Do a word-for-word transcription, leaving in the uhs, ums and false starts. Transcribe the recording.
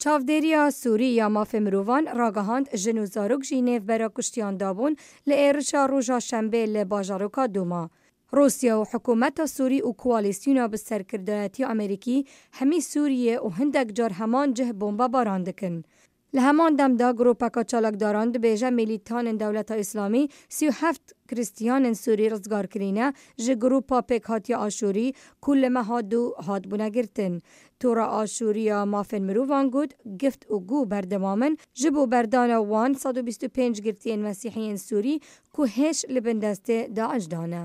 چاودێریە سووری یا مافێ مرۆڤان ڕاگەهاند ژن و زارۆک ژی نێڤبەرا کوشتیان دابوون لە ئێرشا ڕۆژا شەنبێ لە باژەڕۆکا دوما. ڕووسیا و حکوومەتا سووری و کوالیسیونا بە سەرکردایەتی ئەمریکی هەمی سووریە و هندێک جار هەمان جه بۆمبە باران دکن. لە هەمان دەمدا گروپەکە چالاکداران دبێژە میلیتانن دەولەتا ئیسلامی سی و هەفت کریستیانن سووری ڕزگار کرینە ژ گروپا پێکهاتیا ئاشووری کو لە مەها دوو هاتبوونە گرتن. تۆڕە ئاشووریە مافێن مرۆڤان گوت گفت و گو بەردەوامن ژ بۆ بەردانە وان سەد و بیست و پێنج گرتیێن مەسیحیێن سووری کو هێش لە بن دەستێ داعش دانە.